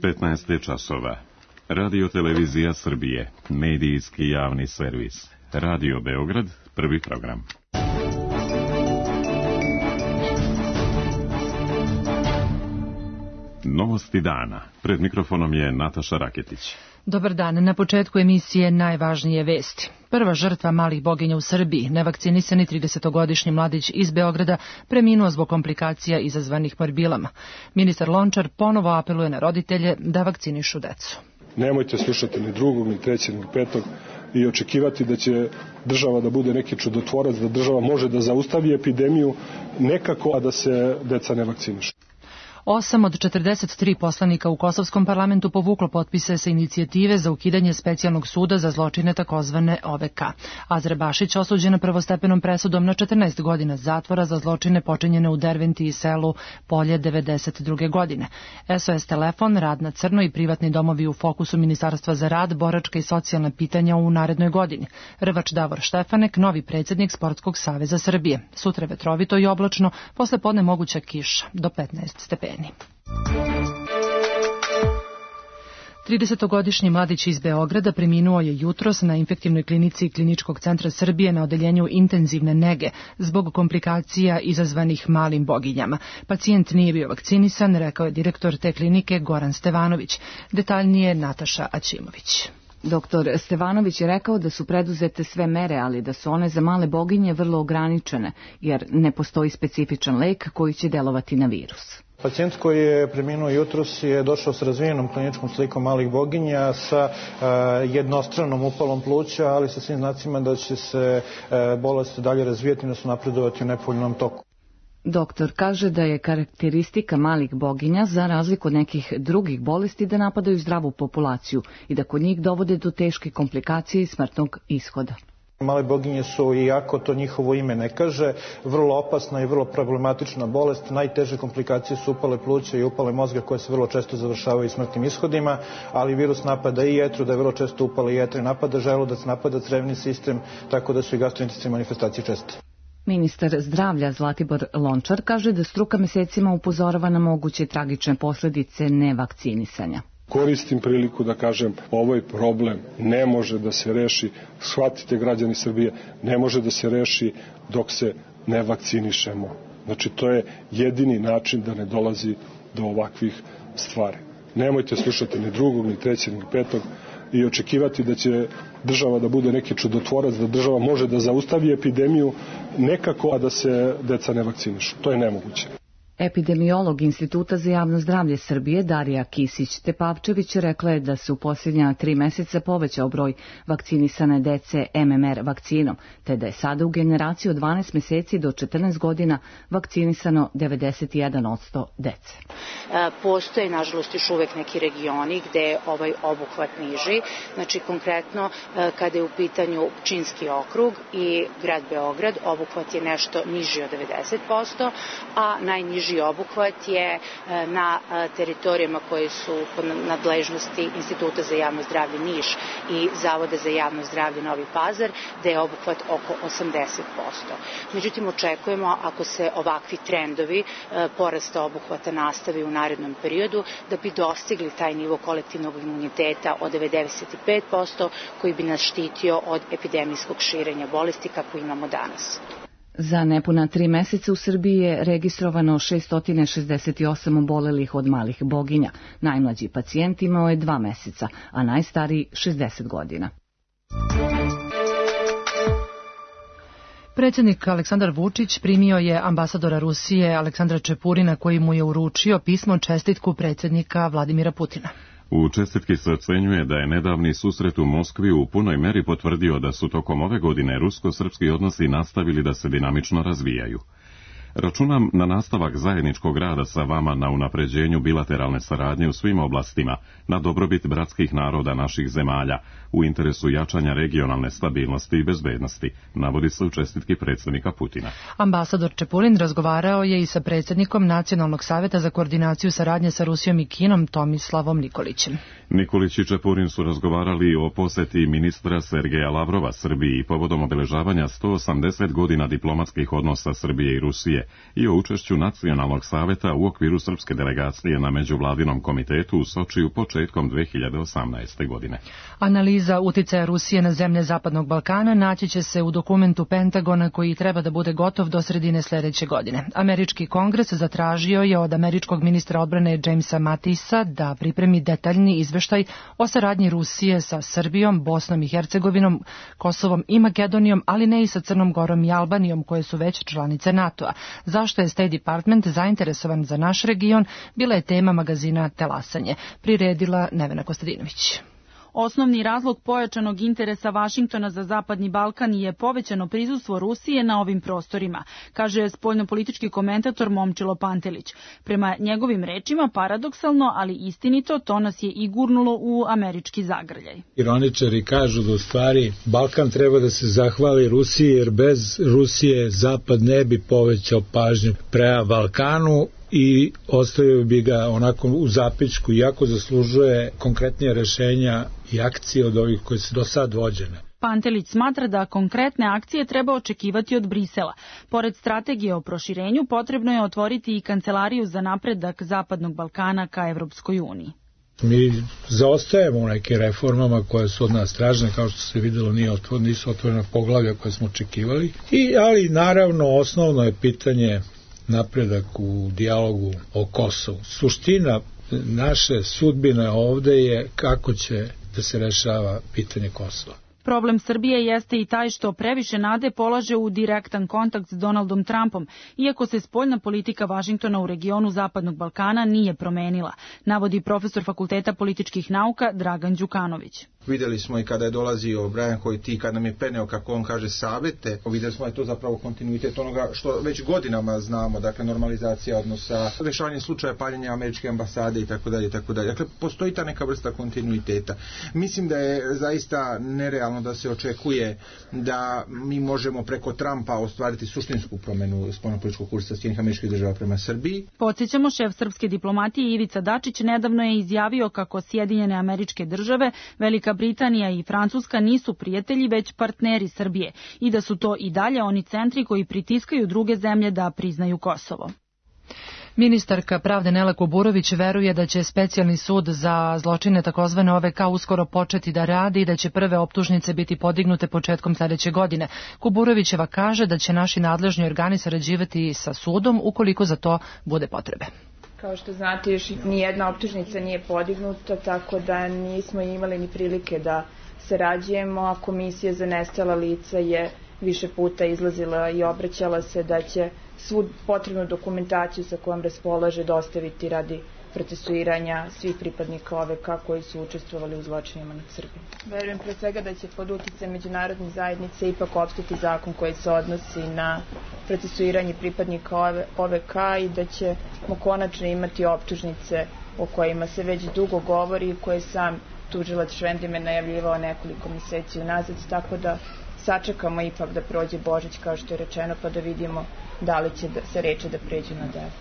15 časova. Radio Televizija Srbije, medijski javni servis. Radio Beograd, prvi program. Novosti dana. Pred mikrofonom je Nataša Raketić. Dobar dan. Na početku emisije najvažnije vesti. Prva žrtva malih boginja u Srbiji, nevakcinisani 30-godišnji mladić iz Beograda, preminuo zbog komplikacija izazvanih morbilama. Ministar Lončar ponovo apeluje na roditelje da vakcinišu decu. Nemojte slušati ni drugog, ni trećeg, ni petog i očekivati da će država da bude neki čudotvorac, da država može da zaustavi epidemiju nekako, a da se deca ne vakcinišu. 8 od 43 poslanika u Kosovskom parlamentu povuklo potpise sa inicijative za ukidanje specijalnog suda za zločine takozvane OVK. Azra Bašić osuđena prvostepenom presudom na 14 godina zatvora za zločine počinjene u Derventi i selu Polje 92. godine. SOS telefon, rad na crno i privatni domovi u fokusu Ministarstva za rad, boračka i socijalna pitanja u narednoj godini. Rvač Davor Štefanek, novi predsjednik Sportskog saveza Srbije. Sutra vetrovito i oblačno, posle podne moguća kiša do 15 stepeni. 30-godišnji mladić iz Beograda preminuo je jutros na infektivnoj klinici Kliničkog centra Srbije na odeljenju intenzivne nege zbog komplikacija izazvanih malim boginjama. Pacijent nije bio vakcinisan, rekao je direktor te klinike Goran Stevanović. Detaljnije Nataša Aćimović. Doktor Stevanović je rekao da su preduzete sve mere, ali da su one za male boginje vrlo ograničene, jer ne postoji specifičan lek koji će delovati na virus. Pacijent koji je preminuo jutros je došao s razvijenom kliničkom slikom malih boginja sa jednostranom upalom pluća, ali sa svim znacima da će se bolest dalje razvijati i da su napredovati u nepovoljnom toku. Doktor kaže da je karakteristika malih boginja, za razliku od nekih drugih bolesti, da napadaju zdravu populaciju i da kod njih dovode do teške komplikacije i smrtnog ishoda. Male boginje su, iako to njihovo ime ne kaže, vrlo opasna i vrlo problematična bolest. Najteže komplikacije su upale pluća i upale mozga koje se vrlo često završavaju smrtnim ishodima, ali virus napada i jetru, da je vrlo često upale jetre, napada želudac, napada crevni sistem, tako da su i gastrointestinske manifestacije česte. Ministar zdravlja Zlatibor Lončar kaže da struka mesecima upozorava na moguće tragične posljedice nevakcinisanja. Koristim priliku da kažem, ovaj problem ne može da se reši, shvatite građani Srbije, ne može da se reši dok se ne vakcinišemo. Znači, to je jedini način da ne dolazi do ovakvih stvari. Nemojte slušati ni drugog, ni trećeg, ni petog i očekivati da će država da bude neki čudotvorac, da država može da zaustavi epidemiju nekako, a da se deca ne vakcinišu. To je nemoguće. Epidemiolog Instituta za javno zdravlje Srbije Darija Kisić-Tepavčević rekla je da se u posljednja 3 meseca povećao broj vakcinisane dece MMR vakcinom, te da je sada u generaciji od 12 meseci do 14 godina vakcinisano 91% dece. Postoje, nažalost, još uvek neki regioni gde je ovaj obuhvat niži. Znači, konkretno, kada je u pitanju Pčinjski okrug i grad Beograd, obuhvat je nešto niži od 90%, a najniži obuhvat je na teritorijama koje su pod nadležnosti Instituta za javno zdravlje Niš i Zavoda za javno zdravlje Novi Pazar, da je obuhvat oko 80%. Međutim, očekujemo, ako se ovakvi trendovi porasta obuhvata nastavi u narednom periodu, da bi dostigli taj nivo kolektivnog imuniteta od 95%, koji bi nas štitio od epidemijskog širenja bolesti kako imamo danas. Za nepuna 3 meseca u Srbiji je registrovano 668 obolelih od malih boginja. Najmlađi pacijent imao je 2 meseca, a najstariji 60 godina. Predsjednik Aleksandar Vučić primio je ambasadora Rusije Aleksandra Čepurina, koji mu je uručio pismo čestitku predsjednika Vladimira Putina. U čestitki se ocenjuje da je nedavni susret u Moskvi u punoj meri potvrdio da su tokom ove godine rusko-srpski odnosi nastavili da se dinamično razvijaju. Računam na nastavak zajedničkog rada sa vama na unapređenju bilateralne saradnje u svim oblastima, na dobrobit bratskih naroda naših zemalja, u interesu jačanja regionalne stabilnosti i bezbednosti, navodi se u čestitki predsjednika Putina. Ambasador Čepurin razgovarao je i sa predsjednikom Nacionalnog saveta za koordinaciju saradnje sa Rusijom i Kinom Tomislavom Nikolićem. Nikolić i Čepurin su razgovarali o poseti ministra Sergeja Lavrova Srbiji povodom obeležavanja 180 godina diplomatskih odnosa Srbije i Rusije Rusije i o učešću Nacionalnog saveta u okviru srpske delegacije na međuvladinom komitetu u Sočiju početkom 2018. godine. Analiza uticaja Rusije na zemlje Zapadnog Balkana naći će se u dokumentu Pentagona koji treba da bude gotov do sredine sledeće godine. Američki kongres zatražio je od američkog ministra odbrane Jamesa Matisa da pripremi detaljni izveštaj o saradnji Rusije sa Srbijom, Bosnom i Hercegovinom, Kosovom i Makedonijom, ali ne i sa Crnom Gorom i Albanijom, koje su već članice NATO-a. Zašto je State Department zainteresovan za naš region, bila je tema magazina Telasanje. Priredila Nevena Kostadinović. Osnovni razlog pojačanog interesa Vašingtona za Zapadni Balkan je povećano prisustvo Rusije na ovim prostorima, kaže spoljnopolitički komentator Momčilo Pantelić. Prema njegovim rečima, paradoksalno, ali istinito, to nas je i gurnulo u američki zagrljaj. Ironičari kažu da u stvari Balkan treba da se zahvali Rusiji, jer bez Rusije Zapad ne bi povećao pažnju prema Balkanu i ostavio bi ga onako u zapičku, iako zaslužuje konkretnije rešenja i akcije od ovih koje su do sad vođene. Pantelić smatra da konkretne akcije treba očekivati od Brisela. Pored strategije o proširenju, potrebno je otvoriti i kancelariju za napredak Zapadnog Balkana ka Evropskoj uniji. Mi zaostajemo u nekim reformama koje su od nas tražene, kao što se videlo nisu otvorena poglavlja koje smo očekivali, ali naravno osnovno je pitanje napredak u dijalogu o Kosovu. Suština naše sudbine ovde je kako će da se rešava pitanje Kosova. Problem Srbije jeste i taj što previše nade polaže u direktan kontakt s Donaldom Trumpom, iako se spoljna politika Vašingtona u regionu Zapadnog Balkana nije promenila, navodi profesor Fakulteta političkih nauka Dragan Đukanović. Videli smo i kada je dolazio Brian Hojti, kada nam je peneo, kako on kaže, savete, videli smo da je to zapravo kontinuitet onoga što već godinama znamo, dakle normalizacija odnosa, rešavanje slučaja paljenja američke ambasade itd. Dakle, postoji ta neka vrsta kontinuiteta. Mislim da je zaista nerealno da se očekuje da mi možemo preko Trumpa ostvariti suštinsku promenu spoljnopolitičkog kursa Sjedinjenih Američkih Država prema Srbiji. Podsjećamo, šef srpske diplomatije Ivica Dačić nedavno je izjavio kako Sjedinjene Američke Države, Velika Britanija i Francuska nisu prijatelji, već partneri Srbije i da su to i dalje oni centri koji pritiskaju druge zemlje da priznaju Kosovo. Ministarka pravde Nela Kuburović veruje da će specijalni sud za zločine takozvane OVK uskoro početi da radi i da će prve optužnice biti podignute početkom sledeće godine. Kuburovićeva kaže da će naši nadležni organi sarađivati sa sudom ukoliko za to bude potrebe. Kao što znate, još nijedna optužnica nije podignuta, tako da nismo imali ni prilike da sarađujemo, a Komisija za nestala lica je više puta izlazila i obraćala se da će svu potrebnu dokumentaciju sa kojom raspolaže dostaviti radi procesuiranja svih pripadnika OVK koji su učestvovali u zločinima nad Srbijom. Verujem pre svega da će pod uticajem međunarodne zajednice ipak opstati zakon koji se odnosi na procesuiranje pripadnika OVK i da ćemo konačno imati optužnice o kojima se već dugo govori i koje sam tužilac Švendime najavljivao nekoliko meseci unazad, tako da sačekamo ipak da prođe Božić, kao što je rečeno, pa da vidimo da li će se reči da pređu na delo.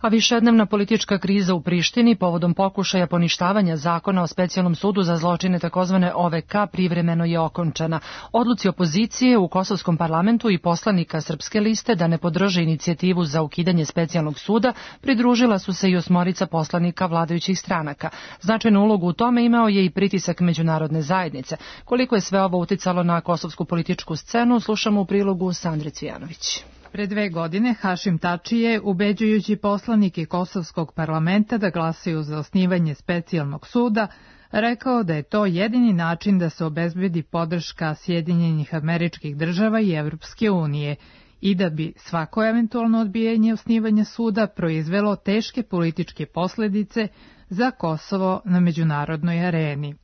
A višednevna politička kriza u Prištini povodom pokušaja poništavanja zakona o specijalnom sudu za zločine takozvane OVK privremeno je okončana. Odluci opozicije u kosovskom parlamentu i poslanika Srpske liste da ne podrže inicijativu za ukidanje specijalnog suda pridružila su se i 8 poslanika vladajućih stranaka. Značajnu ulogu u tome imao je i pritisak međunarodne zajednice. Koliko je sve ovo uticalo na kosovsku političku scenu, slušamo u prilogu Sandre Cvijanović. Pre 2 godine Hašim Tači je, ubeđujući poslanike Kosovskog parlamenta da glasaju za osnivanje specijalnog suda, rekao da je to jedini način da se obezbedi podrška Sjedinjenih Američkih Država i Evropske unije i da bi svako eventualno odbijanje osnivanja suda proizvelo teške političke posledice za Kosovo na međunarodnoj areni.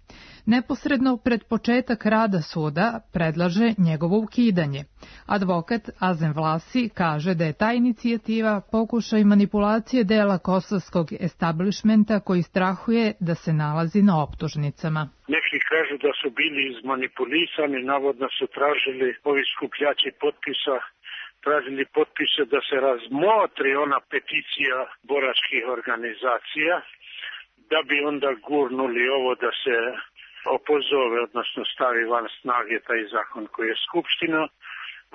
Neposredno pred početak rada suda predlaže njegovo ukidanje. Advokat Azem Vlasi kaže da je ta inicijativa pokušaj manipulacije dela kosovskog establishmenta koji strahuje da se nalazi na optužnicama. Neki kažu da su bili izmanipulisani, navodno su tražili ovi skupljači potpisa, tražili potpise da se razmotri ona peticija boračkih organizacija, da bi onda gurnuli ovo da se opozove, odnosno stavi van snage taj zakon koji je Skupština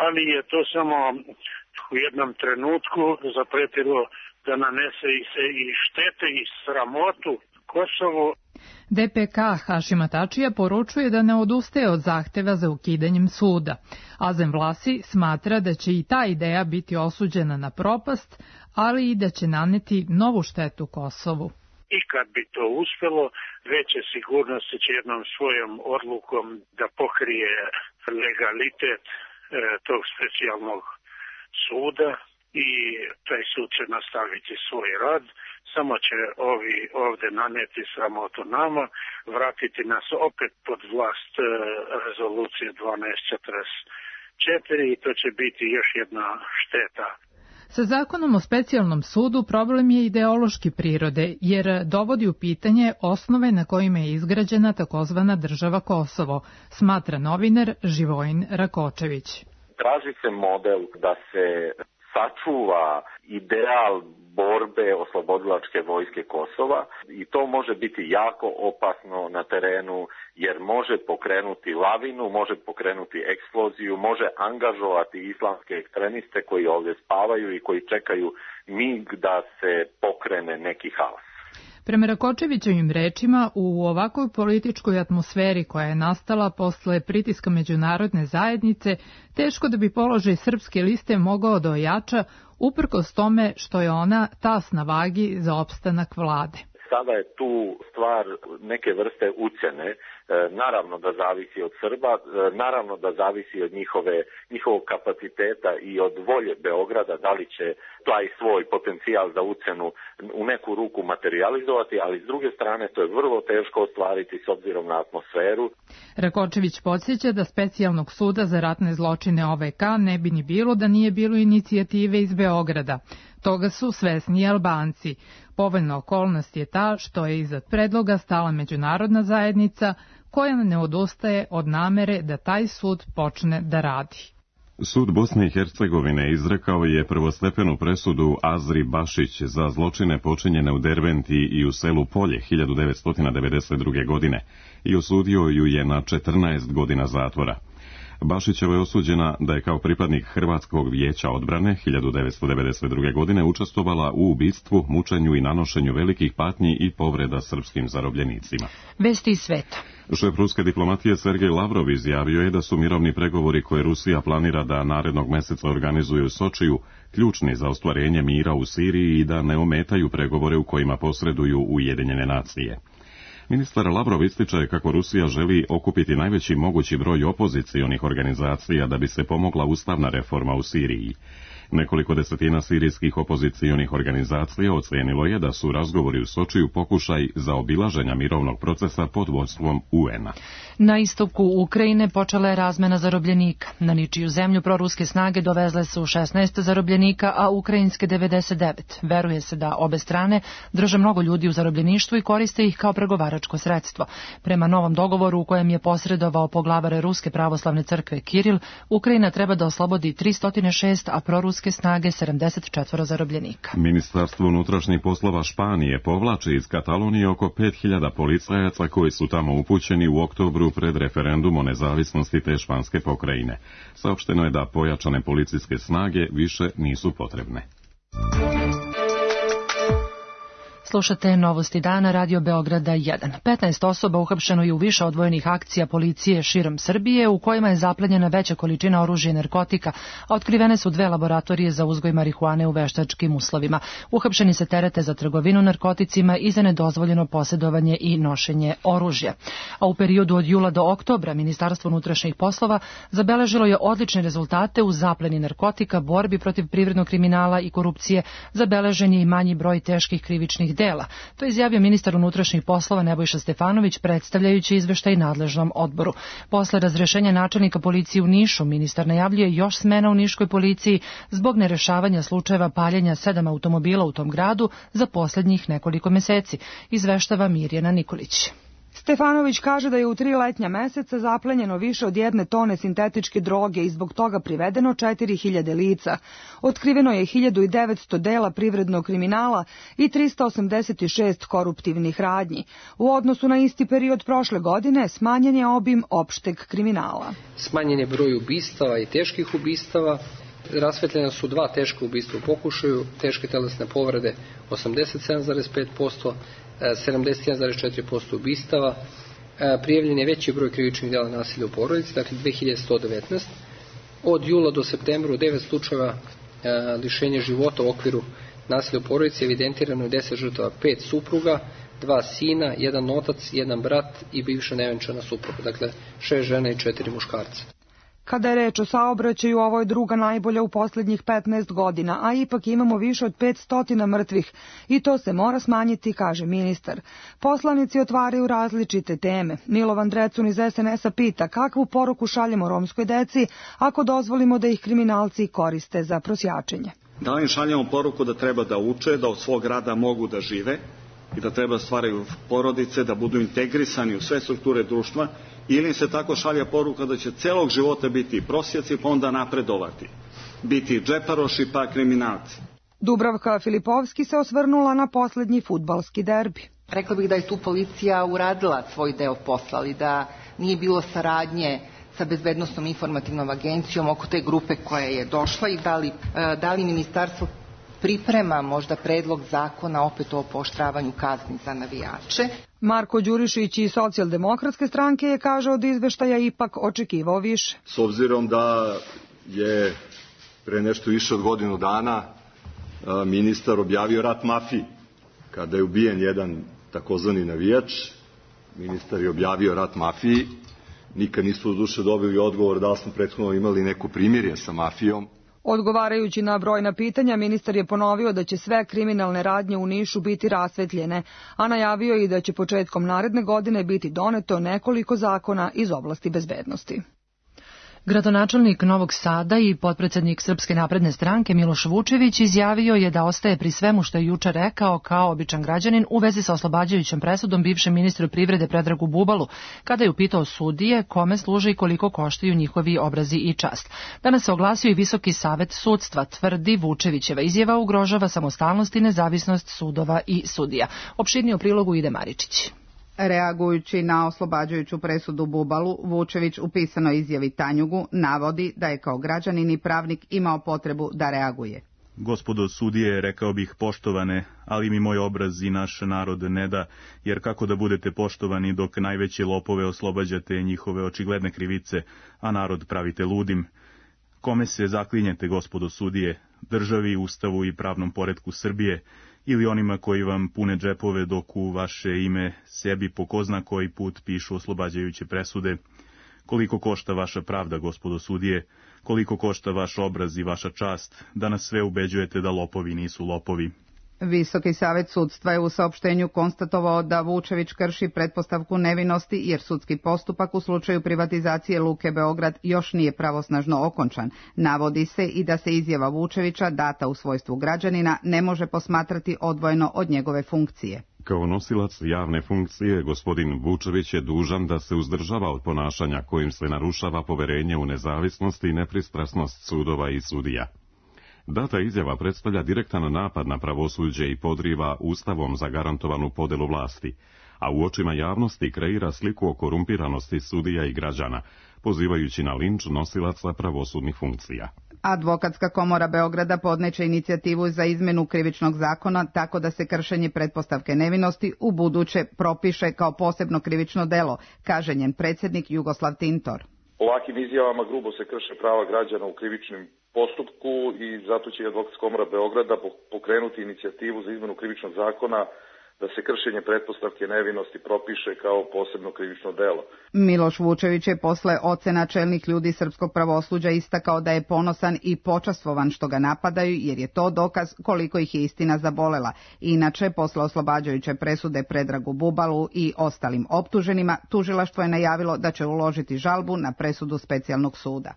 ali je to samo u jednom trenutku zapretilo da nanese se i štete i sramotu Kosovu. DPK Hašima Tačija poručuje da ne odustaje od zahteva za ukidanjem suda. Azem Vlasi smatra da će i ta ideja biti osuđena na propast, ali i da će naneti novu štetu Kosovu. I kad bi to uspelo, veće sigurnosti će jednom svojom odlukom da pokrije legalitet tog specijalnog suda i taj sud će nastaviti svoj rad. Samo će ovi ovde naneti sramotu nama, vratiti nas opet pod vlast rezolucije 1244 i to će biti još jedna šteta. Sa zakonom o specijalnom sudu problem je ideološki prirode, jer dovodi u pitanje osnove na kojima je izgrađena takozvana država Kosovo, smatra novinar Živojin Rakočević. Traži se model da se sačuva ideal borbe oslobodilačke vojske Kosova i to može biti jako opasno na terenu jer može pokrenuti lavinu, može pokrenuti eksploziju, može angažovati islamske ekstremiste koji ovdje spavaju i koji čekaju mig da se pokrene neki haos. Prema Rakočevićevim rečima, u ovakvoj političkoj atmosferi koja je nastala posle pritiska međunarodne zajednice, teško da bi položaj srpske liste mogao da ojača, uprkos tome što je ona tas na vagi za opstanak vlade. Sada je tu stvar neke vrste ucjene, naravno da zavisi od Srba, naravno da zavisi od njihovog kapaciteta i od volje Beograda, da li će taj svoj potencijal za ucjenu u neku ruku materializovati, ali s druge strane to je vrlo teško ostvariti s obzirom na atmosferu. Rakočević podsjeća da specijalnog suda za ratne zločine OVK ne bi ni bilo da nije bilo inicijative iz Beograda. Toga su svesni i Albanci. Povoljna okolnost je ta što je iza predloga stala međunarodna zajednica koja ne odustaje od namere da taj sud počne da radi. Sud Bosne i Hercegovine izrekao je prvostepenu presudu Azri Bašić za zločine počinjene u Derventi i u selu Polje 1992. godine i osudio ju je na 14 godina zatvora. Bašićeva je osuđena da je kao pripadnik Hrvatskog vijeća odbrane 1992. godine učestvovala u ubistvu, mučenju i nanošenju velikih patnji i povreda srpskim zarobljenicima. Vesti iz sveta. Šef ruske diplomatije Sergej Lavrov izjavio je da su mirovni pregovori koje Rusija planira da narednog meseca organizuje u Sočiju ključni za ostvarenje mira u Siriji i da ne ometaju pregovore u kojima posreduju Ujedinjene nacije. Ministar Lavrov ističe kako Rusija želi okupiti najveći mogući broj opozicionih organizacija da bi se pomogla ustavna reforma u Siriji. Nekoliko desetina sirijskih opozicionih organizacija ocenilo je da su razgovori u Sočiju pokušaj zaobilaženja mirovnog procesa pod vodstvom UN-a. Na istoku Ukrajine počela je razmena zarobljenika. Na ničiju zemlju proruske snage dovezle su 16 zarobljenika, a ukrajinske 99. Veruje se da obe strane drže mnogo ljudi u zarobljeništvu i koriste ih kao pregovaračko sredstvo. Prema novom dogovoru u kojem je posredovao poglavar Ruske pravoslavne crkve Kiril, Ukrajina treba da oslobodi 306, a proruske snage 74 zarobljenika. Ministarstvo unutrašnjih poslova Španije povlači iz Katalonije oko 5000 policajaca koji su tamo upućeni u oktobru pred referendum o nezavisnosti te španske pokrajine. Saopšteno je da pojačane policijske snage više nisu potrebne. Slušate Novosti dana, Radio Beograda 1. 15 osoba uhapšeno je u više odvojenih akcija policije širom Srbije, u kojima je zaplenjena veća količina oružja i narkotika, a otkrivene su 2 laboratorije za uzgoj marihuane u veštačkim uslovima. Uhapšeni se terete za trgovinu narkoticima i za nedozvoljeno posjedovanje i nošenje oružja. A u periodu od jula do oktobra Ministarstvo unutrašnjih poslova zabeležilo je odlične rezultate u zapleni narkotika, borbi protiv privrednog kriminala i korupcije, zabeležen je i manji broj teških krivičnih dela. To je izjavio ministar unutrašnjih poslova Nebojša Stefanović predstavljajući izveštaj nadležnom odboru. Posle razrešenja načelnika policije u Nišu, ministar najavljuje još smena u niškoj policiji zbog nerešavanja slučajeva paljenja 7 automobila u tom gradu za posljednjih nekoliko meseci, izveštava Mirjana Nikolić. Stefanović kaže da je u 3 letnja meseca zaplenjeno više od 1 tone sintetičke droge i zbog toga privedeno 4000 lica. Otkriveno je 1900 dela privrednog kriminala i 386 koruptivnih radnji. U odnosu na isti period prošle godine smanjen je obim opšteg kriminala. Smanjen je broj ubistava i teških ubistava. Rasvetljena su 2 teška ubistva u pokušaju, teške telesne povrede 87,5%, 71,4% ubistava. Prijavljen je veći broj krivičnih dela nasilja u porodici, dakle 2119. Od jula do septembra u 9 slučajeva lišenja života u okviru nasilja u porodici evidentirano je 10 žrtava, 5 supruga, 2 sina, 1 otac, 1 brat i bivša nevenčana supruga, dakle 6 žena i 4 muškarca. Kada je reč o saobraćaju, ovo je druga najbolja u poslednjih 15 godina, a ipak imamo više od 500 mrtvih i to se mora smanjiti, kaže ministar. Poslanici otvaraju različite teme. Milovan Drecun iz SNS-a pita kakvu poruku šaljemo romskoj deci ako dozvolimo da ih kriminalci koriste za prosjačenje. Da li im šaljemo poruku da treba da uče, da od svog rada mogu da žive i da treba da stvaraju porodice, da budu integrisani u sve strukture društva, ili im se tako šalja poruka da će celog života biti prosjaci pa onda napredovati, biti džeparoši pa kriminalci. Dubravka Filipovski se osvrnula na poslednji fudbalski derbi. Rekla bih da je tu policija uradila svoj deo posla, ali da nije bilo saradnje sa Bezbednosnom informativnom agencijom oko te grupe koja je došla i da li ministarstvo priprema možda predlog zakona opet o pooštravanju kazni za navijače. Marko Đurišić iz Socijaldemokratske stranke je, kaže, od izveštaja ipak očekivao više. S obzirom da je pre nešto više od godinu dana ministar objavio rat mafiji, kada je ubijen jedan takozvani navijač, ministar je objavio rat mafiji, nikad nismo do duše dobili odgovor da li smo prethodno imali neko primirje sa mafijom. Odgovarajući na brojna pitanja, ministar je ponovio da će sve kriminalne radnje u Nišu biti rasvetljene, a najavio je i da će početkom naredne godine biti doneto nekoliko zakona iz oblasti bezbednosti. Gradonačelnik Novog Sada i potpredsednik Srpske napredne stranke Miloš Vučević izjavio je da ostaje pri svemu što je juče rekao kao običan građanin u vezi sa oslobađajućom presudom bivšem ministru privrede Predragu Bubalu, kada je upitao sudije kome služe i koliko koštaju njihovi obrazi i čast. Danas se oglasio i Visoki savet sudstva, tvrdi Vučevićeva izjava ugrožava samostalnost i nezavisnost sudova i sudija. Opširnije u prilogu ide Maričić. Reagujući na oslobađajuću presudu Bubalu, Vučević u pisanoj izjavi Tanjugu navodi da je kao građanin i pravnik imao potrebu da reaguje. Gospodo sudije, rekao bih poštovane, ali mi moj obraz i naš narod ne da, jer kako da budete poštovani dok najveće lopove oslobađate njihove očigledne krivice, a narod pravite ludim? Kome se zaklinjete, gospodo sudije, državi, ustavu i pravnom poretku Srbije, ili onima koji vam pune džepove dok u vaše ime sebi po ko zna koji put pišu oslobađajuće presude? Koliko košta vaša pravda, gospodo sudije? Koliko košta vaš obraz i vaša čast, da nas sve ubeđujete da lopovi nisu lopovi? Visoki savet sudstva je u saopštenju konstatovao da Vučević krši pretpostavku nevinosti jer sudski postupak u slučaju privatizacije Luke Beograd još nije pravosnažno okončan. Navodi se i da se izjava Vučevića, data u svojstvu građanina, ne može posmatrati odvojeno od njegove funkcije. Kao nosilac javne funkcije, gospodin Vučević je dužan da se uzdržava od ponašanja kojim se narušava poverenje u nezavisnost i nepristrasnost sudova i sudija. Data izjava predstavlja direktan napad na pravosuđe i podriva ustavom zagarantovanu podelu vlasti, a u očima javnosti kreira sliku o korumpiranosti sudija i građana, pozivajući na linč nosilaca pravosudnih funkcija. Advokatska komora Beograda podneće inicijativu za izmenu krivičnog zakona tako da se kršenje pretpostavke nevinosti u buduće propiše kao posebno krivično delo, kaže njen predsjednik Jugoslav Tintor. Ovakvim izjavama grubo se krše prava građana u krivičnim postupku i zato će Advokatska komora Beograda pokrenuti inicijativu za izmenu krivičnog zakona da se kršenje pretpostavke nevinosti propiše kao posebno krivično delo. Miloš Vučević je posle ocena čelnih ljudi srpskog pravosuđa istakao da je ponosan i počastvovan što ga napadaju jer je to dokaz koliko ih je istina zabolela. Inače, posle oslobađajuće presude Predragu Bubalu i ostalim optuženima, tužilaštvo je najavilo da će uložiti žalbu na presudu specijalnog suda.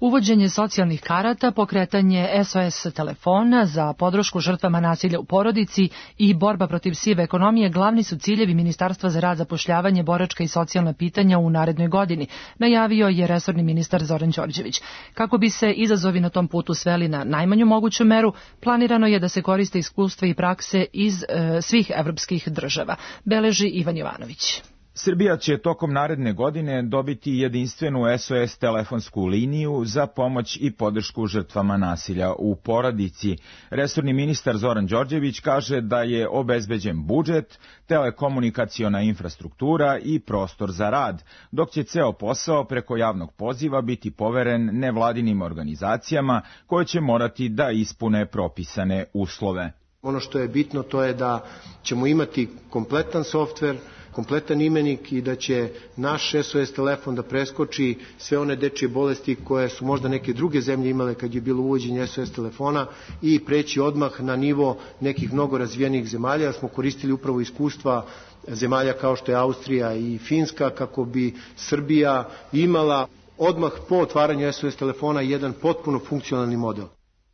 Uvođenje socijalnih karata, pokretanje SOS telefona za podršku žrtvama nasilja u porodici i borba protiv sive ekonomije glavni su ciljevi Ministarstva za rad, zapošljavanje, boračka i socijalna pitanja u narednoj godini, najavio je resorni ministar Zoran Đorđević. Kako bi se izazovi na tom putu sveli na najmanju moguću meru, planirano je da se koriste iskustva i prakse iz svih evropskih država, beleži Ivan Jovanović. Srbija će tokom naredne godine dobiti jedinstvenu SOS telefonsku liniju za pomoć i podršku žrtvama nasilja u porodici. Resorni ministar Zoran Đorđević kaže da je obezbeđen budžet, telekomunikaciona infrastruktura i prostor za rad, dok će ceo posao preko javnog poziva biti poveren nevladinim organizacijama koje će morati da ispune propisane uslove. Ono što je bitno to je da ćemo imati kompletan softver, kompletan imenik i da će naš SOS telefon da preskoči sve one dečije bolesti koje su možda neke druge zemlje imale kad je bilo uvođenje SOS telefona i preći odmah na nivo nekih mnogo razvijenih zemalja. Smo koristili upravo iskustva zemalja kao što je Austrija i Finska kako bi Srbija imala odmah po otvaranju SOS telefona jedan potpuno funkcionalni model.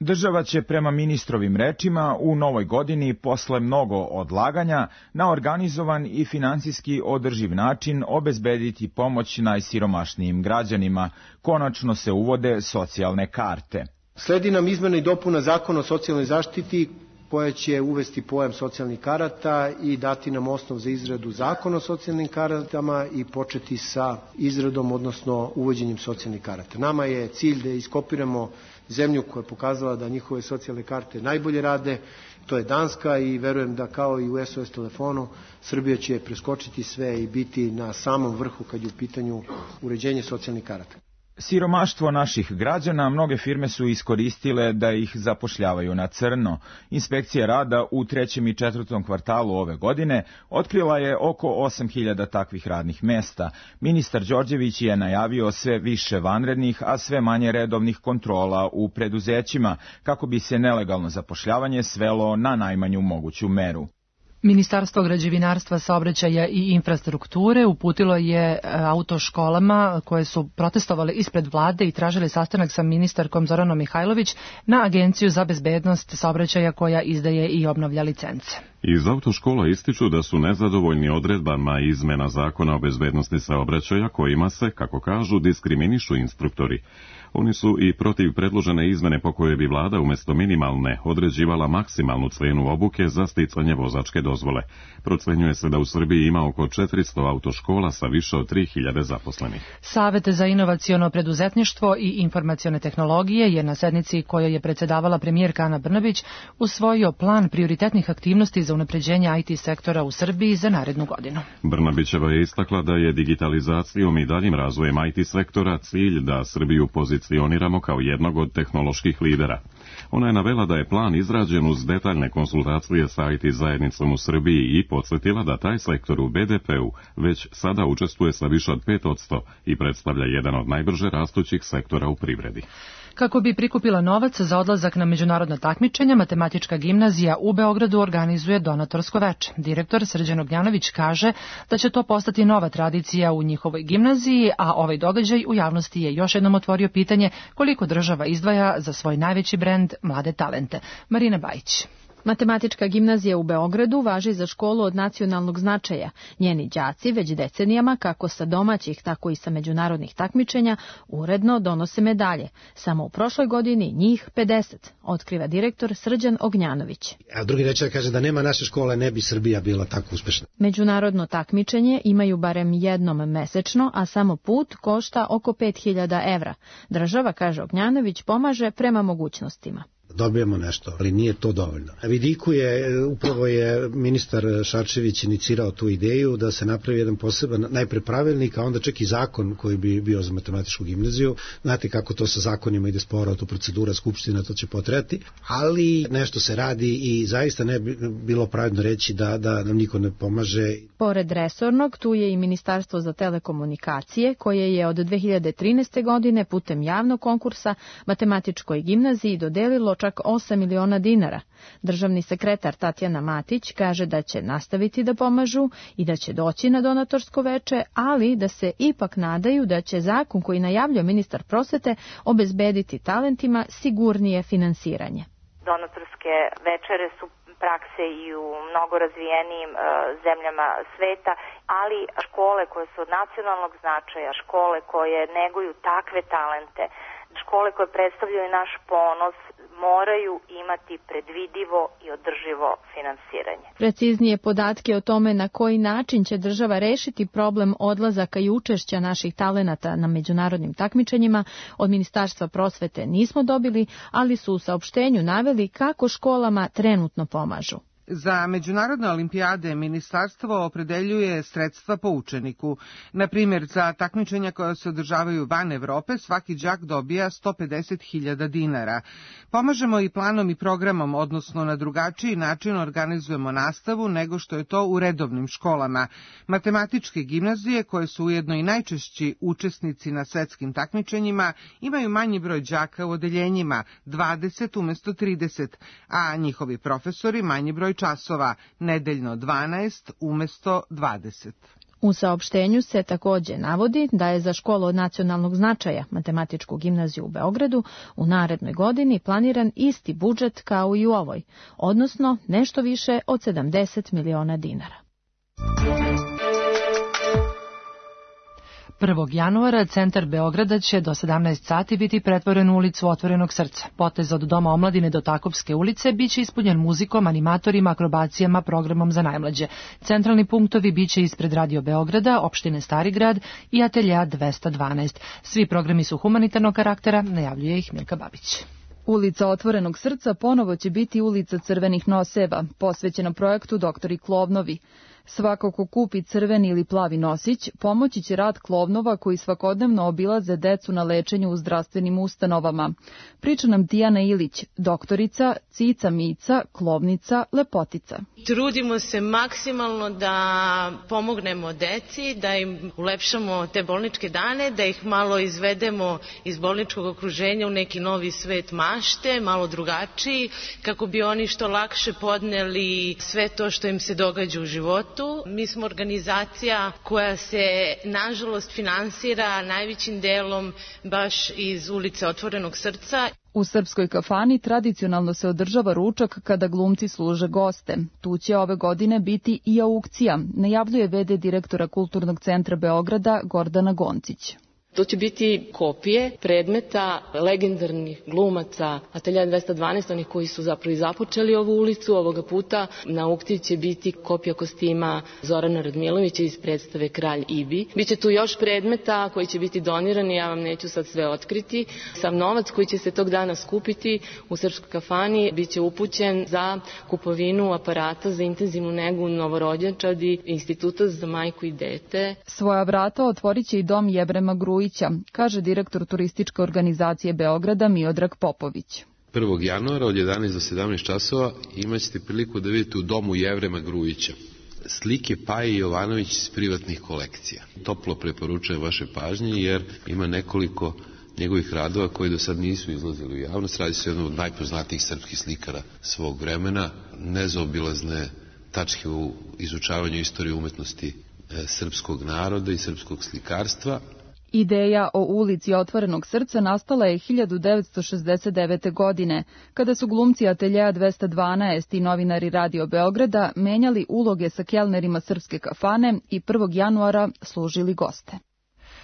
Država će prema ministrovim rečima u novoj godini posle mnogo odlaganja na organizovan i finansijski održiv način obezbediti pomoć najsiromašnijim građanima. Konačno se uvode socijalne karte. Sledi nam izmena i dopuna Zakona o socijalnoj zaštiti koja će uvesti pojam socijalnih karata i dati nam osnov za izradu zakona o socijalnim karatama i početi sa izradom, odnosno uvođenjem socijalnih karata. Nama je cilj da iskopiramo zemlju koja je pokazala da njihove socijalne karte najbolje rade, to je Danska i verujem da kao i u SOS telefonu Srbija će preskočiti sve i biti na samom vrhu kad je u pitanju uređenje socijalnih karata. Siromaštvo naših građana mnoge firme su iskoristile da ih zapošljavaju na crno. Inspekcija rada u 3. i 4. kvartalu ove godine otkrila je oko 8.000 takvih radnih mesta. Ministar Đorđević je najavio sve više vanrednih, a sve manje redovnih kontrola u preduzećima, kako bi se nelegalno zapošljavanje svelo na najmanju moguću meru. Ministarstvo građevinarstva, saobraćaja i infrastrukture uputilo je autoškolama koje su protestovale ispred vlade i tražile sastanak sa ministarkom Zoranom Mihajlović na Agenciju za bezbednost saobraćaja koja izdaje i obnavlja licence. Iz autoškola ističu da su nezadovoljni odredbama izmena Zakona o bezbednosti saobraćaja kojima se, kako kažu, diskriminišu instruktori. Oni su i protiv predložene izmene po kojoj bi vlada umjesto minimalne određivala maksimalnu cenu obuke za sticanje vozačke dozvole. Procenjuje se da u Srbiji ima oko 400 autoškola sa više od 3000 zaposlenih. Savet za inovaciono preduzetništvo i informacione tehnologije je na sednici kojoj je predsedavala premijerka Ana Brnabić usvojio plan prioritetnih aktivnosti za unapređenje IT sektora u Srbiji za narednu godinu. Brnabićeva je istakla da je digitalizacijom i daljim razvojem IT sektora cilj da Srbiju pozicioniramo kao jednog od tehnoloških lidera. Ona je navela da je plan izrađen uz detaljne konsultacije sa IT zajednicom u Srbiji i podsjetila da taj sektor u BDP-u već sada učestvuje sa više od 5% i predstavlja jedan od najbrže rastućih sektora u privredi. Kako bi prikupila novac za odlazak na međunarodna takmičenja, Matematička gimnazija u Beogradu organizuje donatorsko veče. Direktor Srđan Ognjanović kaže da će to postati nova tradicija u njihovoj gimnaziji, a ovaj događaj u javnosti je još jednom otvorio pitanje koliko država izdvaja za svoj najveći brend mlade talente. Marina Bajić. Matematička gimnazija u Beogradu važi za školu od nacionalnog značaja. Njeni đaci već decenijama, kako sa domaćih, tako i sa međunarodnih takmičenja, uredno donose medalje. Samo u prošloj godini njih 50, otkriva direktor Srđan Ognjanović. A drugi reče kaže da nema naše škole, ne bi Srbija bila tako uspešna. Međunarodno takmičenje imaju barem jednom mesečno, a samo put košta oko 5000 evra. Država, kaže Ognjanović, pomaže prema mogućnostima. Dobijemo nešto, ali nije to dovoljno. Na vidiku upravo je ministar Šarčević inicirao tu ideju da se napravi jedan poseban, najpre pravilnik, a onda čak i zakon koji bi bio za matematičku gimnaziju. Znate kako to sa zakonima ide sporo, to procedura skupština, to će potrebati, ali nešto se radi i zaista ne bi bilo pravedno reći da nam niko ne pomaže. Pored resornog, tu je i Ministarstvo za telekomunikacije, koje je od 2013. godine putem javnog konkursa Matematičkoj gimnaziji dodelilo čak 8 miliona dinara. Državni sekretar Tatjana Matić kaže da će nastaviti da pomažu i da će doći na donatorsko veče, ali da se ipak nadaju da će zakon koji najavljuje ministar prosvete obezbediti talentima sigurnije finansiranje. Donatorske večere su prakse i u mnogo razvijenijim zemljama sveta, ali škole koje su od nacionalnog značaja, škole koje neguju takve talente, škole koje predstavljaju naš ponos, moraju imati predvidivo i održivo finansiranje. Preciznije podatke o tome na koji način će država rešiti problem odlazaka i učešća naših talenata na međunarodnim takmičenjima od Ministarstva prosvete nismo dobili, ali su u saopštenju naveli kako školama trenutno pomažu. Za međunarodne olimpijade ministarstvo opredeljuje sredstva po učeniku. Na primjer, za takmičenja koja se održavaju van Evrope, svaki đak dobija 150.000 dinara. Pomažemo i planom i programom, odnosno na drugačiji način organizujemo nastavu nego što je to u redovnim školama. Matematičke gimnazije, koje su ujedno i najčešći učesnici na svetskim takmičenjima, imaju manji broj đaka u odeljenjima, 20 umesto 30, a njihovi profesori manji broj časova, nedeljno 12 umesto 20. U saopštenju se takođe navodi da je za školu od nacionalnog značaja, Matematičku gimnaziju u Beogradu, u narednoj godini planiran isti budžet kao i u ovoj, odnosno nešto više od 70 miliona dinara. 1. januara centar Beograda će do 17 sati biti pretvoren u ulicu Otvorenog srca. Potez od Doma omladine do Takopske ulice biće ispunjen muzikom, animatorima, akrobacijama, programom za najmlađe. Centralni punktovi biće ispred Radio Beograda, opštine Stari grad i Ateljea 212. Svi programi su humanitarnog karaktera, najavljuje ih Milka Babić. Ulica Otvorenog srca ponovo će biti ulica crvenih noseva, posvećena projektu Doktori Klovnovi. Svako ko kupi crveni ili plavi nosić, pomoći će rad klovnova koji svakodnevno obilaze decu na lečenju u zdravstvenim ustanovama. Priča nam Dijana Ilić, doktorica, cica mica, klovnica, lepotica. Trudimo se maksimalno da pomognemo deci, da im ulepšamo te bolničke dane, da ih malo izvedemo iz bolničkog okruženja u neki novi svet mašte, malo drugačiji, kako bi oni što lakše podneli sve to što im se događa u životu. Mi smo organizacija koja se, nažalost, finansira najvećim delom baš iz ulice Otvorenog srca. U Srpskoj kafani tradicionalno se održava ručak kada glumci služe goste. Tu će ove godine biti i aukcija, najavljuje v.d. direktora Kulturnog centra Beograda Gordana Goncić. To će biti kopije predmeta legendarnih glumaca Ateljea 212, onih koji su zapravo i započeli ovu ulicu. Ovoga puta na aukciji će biti kopija kostima Zorana Radmilovića iz predstave Kralj Ibi. Biće tu još predmeta koji će biti donirani, ja vam neću sad sve otkriti. Sam novac koji će se tog dana skupiti u Srpskoj kafani biće upućen za kupovinu aparata za intenzivnu negu novorođenčadi Instituta za majku i dete. Svoja vrata otvorit će i dom Jevrema Grujića, kaže direktor turističke organizacije Beograda Miodrag Popović. 1. januara od 11 do 17 časova imat ćete priliku da vidite u domu Jevrema Grujića slike Paje Jovanović iz privatnih kolekcija. Toplo preporučujem vaše pažnje jer ima nekoliko njegovih radova koji do sad nisu izlazili u javnost. Radi se o jednom od najpoznatijih srpskih slikara svog vremena, nezaobilazne tačke u izučavanju istorije umetnosti srpskog naroda i srpskog slikarstva. Ideja o ulici Otvorenog srca nastala je 1969. godine, kada su glumci Ateljea 212 i novinari Radio Beograda menjali uloge sa kelnerima Srpske kafane i 1. januara služili goste.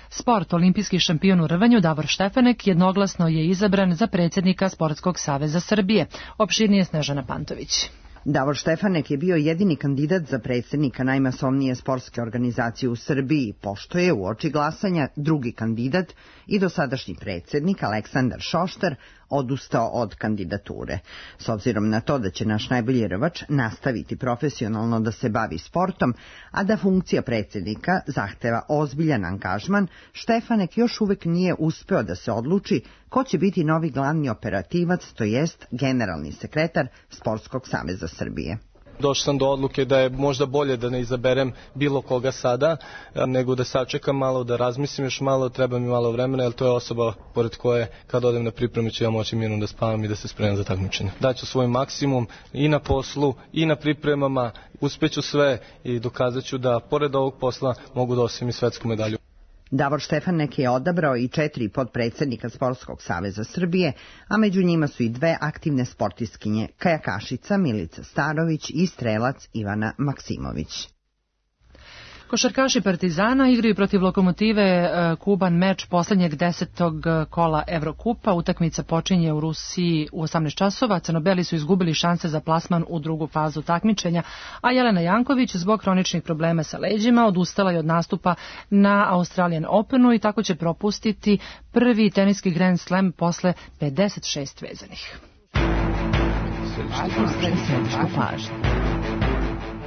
Sport, olimpijski šampion u rvanju Davor Štefanek jednoglasno je izabran za predsjednika Sportskog saveza Srbije. Opširnije Snežana Pantović. Davor Štefanek je bio jedini kandidat za predsjednika najmasovnije sportske organizacije u Srbiji, pošto je u oči glasanja drugi kandidat i dosadašnji predsjednik Aleksandar Šoštar odustao od kandidature. S obzirom na to da će naš najbolji rvač nastaviti profesionalno da se bavi sportom, a da funkcija predsjednika zahteva ozbiljan angažman, Štefanek još uvek nije uspeo da se odluči ko će biti novi glavni operativac, to jest generalni sekretar Sportskog saveza Srbije. Došao sam do odluke da je možda bolje da ne izaberem bilo koga sada, nego da sačekam malo, da razmislim još malo, treba mi malo vremena, jer to je osoba pored koje kad odem na pripremu ću ja moći mirno da spavam i da se spremam za takmičenje. Daću svoj maksimum i na poslu i na pripremama, uspeću sve i dokazat ću da pored ovog posla mogu da osvojim i svetsku medalju. Davor Štefanek je odabrao i 4 potpredsednika Sportskog saveza Srbije, a među njima su i 2 aktivne sportistkinje, kajakašica Milica Starović i strelac Ivana Maksimović. Košarkaši Partizana igraju protiv Lokomotive Kuban meč poslednjeg 10. kola Evrokupa. Utakmica počinje u Rusiji u 18 časova. Crnobeli su izgubili šanse za plasman u drugu fazu takmičenja, a Jelena Janković zbog hroničnih problema sa leđima odustala je od nastupa na Australian Openu i tako će propustiti prvi teniski Grand Slam posle 56 vezanih.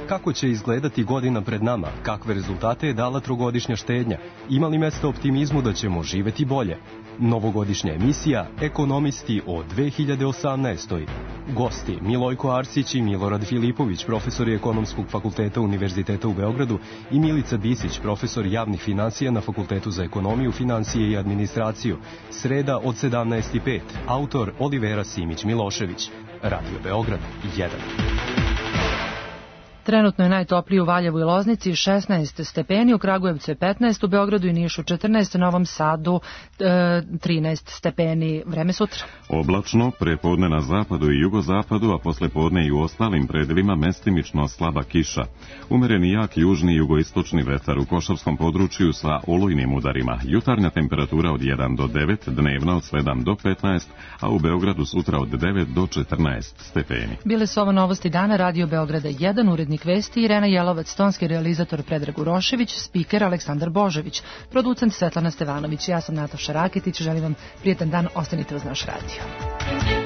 Kako će izgledati godina pred nama? Kakve rezultate je dala trogodišnja štednja? Ima li mjesto optimizmu da ćemo živeti bolje? Novogodišnja emisija Ekonomisti o 2018. Gosti Milojko Arsić i Milorad Filipović, profesori Ekonomskog fakulteta Univerziteta u Beogradu, i Milica Bisić, profesor javnih financija na Fakultetu za ekonomiju, financije i administraciju. Sreda od 17:05. Autor Olivera Simić-Milošević. Radio Beograd 1. Trenutno je najtopliji u Valjevu i Loznici 16 stepeni, u Kragujevcu je 15, u Beogradu i Nišu 14, u Novom Sadu 13 stepeni. Vreme sutra. Oblačno, prepodne na zapadu i jugozapadu, a poslepodne i u ostalim predelima mestimično slaba kiša. Umereni jak južni i jugoistočni vetar u Košavskom području sa olujnim udarima. Jutarnja temperatura od 1 do 9, dnevna od 7 do 15, a u Beogradu sutra od 9 do 14 stepeni. Bile su ovo novosti dana, Radio Beograda 1, urednik vesti Irena Jelovac, tonski realizator Predrag Urošević, spiker Aleksandar Božević, producent Svetlana Stevanović. Ja sam Nataša Raketić, želim vam prijetan dan, ostanite uz naš radio.